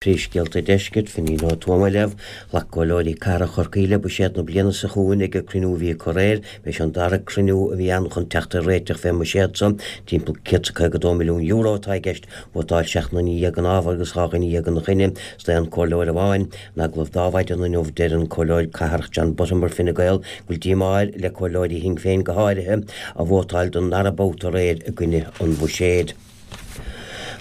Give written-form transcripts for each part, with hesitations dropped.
Príomhscéalta Deiscirt, Finín Ó Tuama libh. Ghlac Comhairleoirí Cathrach Chorcaí le buiséad na bliana seo chugainn ag an cruinniú a bhí acu aréir. B'é seo an dara cruinniú a bhí ann chun teacht ar réiteach fén mbuiséad seo. Timpeall €152 milliún atá i gceist. Vótáil 17 nduine ina fhabhar agus 12 dhuine ina choinne, is d'aon comhairleoir amháin. In agallamh do Adhmhaidin inniu deir an Comhairleoir Cathrach John Buttimer, Fine Gael, go bhfuil díomá air, le comhairleoirí Shinn Féin go háirithe, a vótáil don ndara babhta aréir i gcoinne an bhuiséid.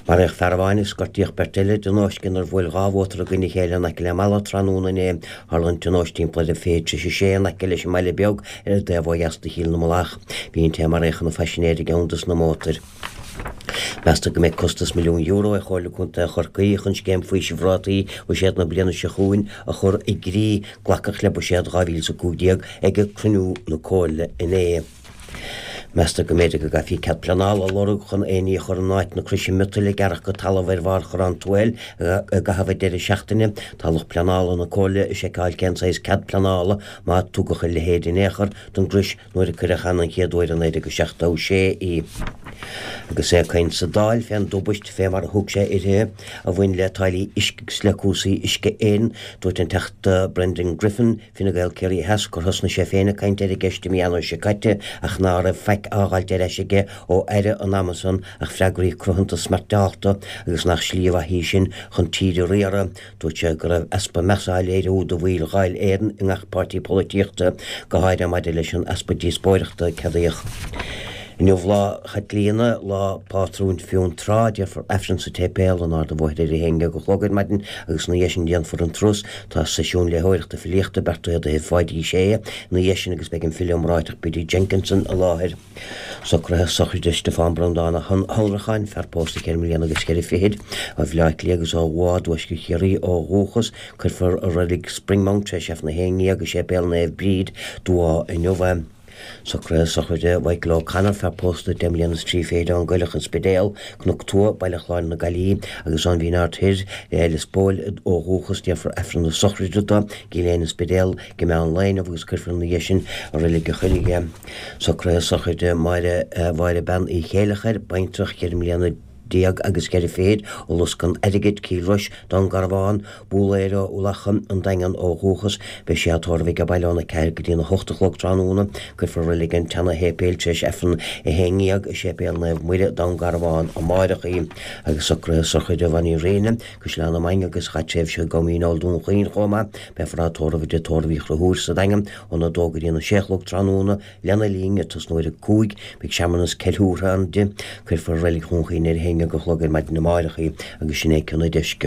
Maraíodh fear amháin agus gortaíodh beirt eile i dtionóisc inar bhuail 2 mhótar i gcoinne a chéile in aice le Mala tráthnóna inné. Tharla an tionóisc timpeall ar a 5:40 in aice leis an mBaile Beag ar an dtaobh ó dheas de Chill na Mullach. Bhí an té a maraíodh ina phaisinéir i gceann des na mótair. Meastar go mbeidh costas €1 milliún ar Chomhairle Contae Chorcaí chun scéim faoisimh rátaí bhuiséad na bliana seo chugainn a chur i gcrích. Glacadh le buiséad 2015 ag cruinniú na Comhairle inné. Meastar go mb'fhéidir go gcaithfí cead pleanála a lorg chun aon ní a chur in áit na croise miotail a gearradh go talamh ar bharr Chorrán Tuathail i gcaitheamh an deireadh seachtaine. Tá lucht pleanála na Comhairle ag seiceáil cén saghas cead pleanála, má tugadh a leithéid in aon chor, don gcrois nuair a cuireadh ann an chéad uair i 1976 í. Agus é ag caint sa Dáil fén dtubaist, fé mar a thug sé uirthi, a bhain le táillí uisce agus le cúrsaí Uisce Éireann, dúirt an Teachta Brendan Griffin, Fine Gael Ciarraí Theas gur thosnaigh sé féin ag caint ar an gceist i mí Eanáir seo caite ach ná raibh faic á dh'fháilt ar ais aige ó Aire an ama san ach freagraí cruthanta smeairteálta agus nach slí mhaith í sin chun tír a riaradh. Dúirt sé go raibh easpa measa á léiriú do bhaill Dháil Éireann i ngach páirtí polaitíochta, go háirithe maidir leis an easpa díospóireachta a ceadaíodh. Inniu Lá Chaitlíona, lá pátrúin Fionntrá. Déarfar Aifreann sa tséipéal in Ard an Bhóthair ar a haon dhéag a chlog ar maidin agus ina dhiaidh sin déanfar an turas. Tá seisiún léitheoireachta filíochta beartaithe d'oíche Pháidí Uí Shé ina dhiaidh sin agus beidh an file iomráiteach Biddy Jenkinson i láthair. Socruithe sochraide Stiofán Breandán Ó hAnnracháin, fear pósta cheithre mbliana agus cheithre fichid, ó Bhaile Átha Cliath agus ó Mhá i dtuaisceart Chiarraí ó dhúchas. Cuirfear i reilig Springmount tar éis Aifreann a haon dhéag i Séipéal Naomh Bríd, Dumhá inniu é. Socruithe sochraide Mhichael O'Connor, fear pósta deich mbliana is trí fichid ón gCoileach, An Spidéal, Cnoc Tua, Baile Chláir na Gaillimhe, agus ón Mhín Aird Thoir, Lios Póil, ó dhúchas. Déarfar Aifreann na sochraide dó i gCill Éithne, An Spidéal, ag meán lae inniu agus cuirfear ina dhiaidh sin i Reilig an Choilligh é. Socruithe sochraide Máire Mháire Bean Uí Chéileachair, baintreach, cheithre mbliana agus cheithre fichid, ó Lusca an Airgid, Cill Rois, Dún Garbhán, Búlaeir ó Umhlacha, An Daingean ó dhúchas. Beidh sí á tórramh age baile óna 4 go dtína 8 a chlog tráthnóna. Cuirfear i reilig an tseana-shéipéil tar éis Aifreann 11 i Séipéal Naomh Muire, Dún Garbhán, amáireach í. Agus socruithe sochraide Mhonnie Rinne, Caisleán na Mainge agus chaith tréimhse i gCom Dhíneol Dún Chaoin chomh maith. Beifear á tórramh i dTigh Tórraimh Uí Chonchúir sa Daingean óna 2 go dtína 6 a chlog tráthnóna. Lena linn, ag tosnú ar a 5, beidh searmanas ceiliúrtha ann di. Cuirfear i Reilig Dhún Chaoin ar a haon dhéag a chlog ar maidin amáireach í agus sin é Cionn an Deiscirt.